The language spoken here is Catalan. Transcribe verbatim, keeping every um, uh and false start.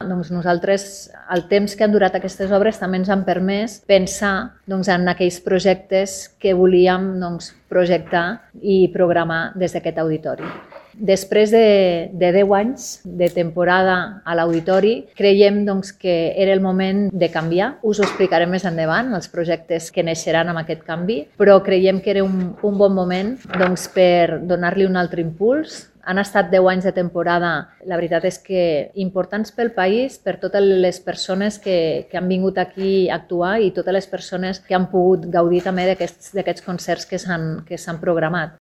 doncs, nosaltres, el temps que han durat aquestes obres també ens han permès pensar doncs, en aquells projectes que volíem doncs, projectar i programar des d'aquest auditori. Després de, de deu anys de temporada a l'auditori, creiem doncs, que era el moment de canviar. Us ho explicarem més endavant, els projectes que neixeran amb aquest canvi, però creiem que era un, un bon moment doncs, per donar-li un altre impuls. Han estat deu anys de temporada, la veritat és que importants pel país, per totes les persones que, que han vingut aquí a actuar i totes les persones que han pogut gaudir també d'aquests concerts que s'han que s'han programat.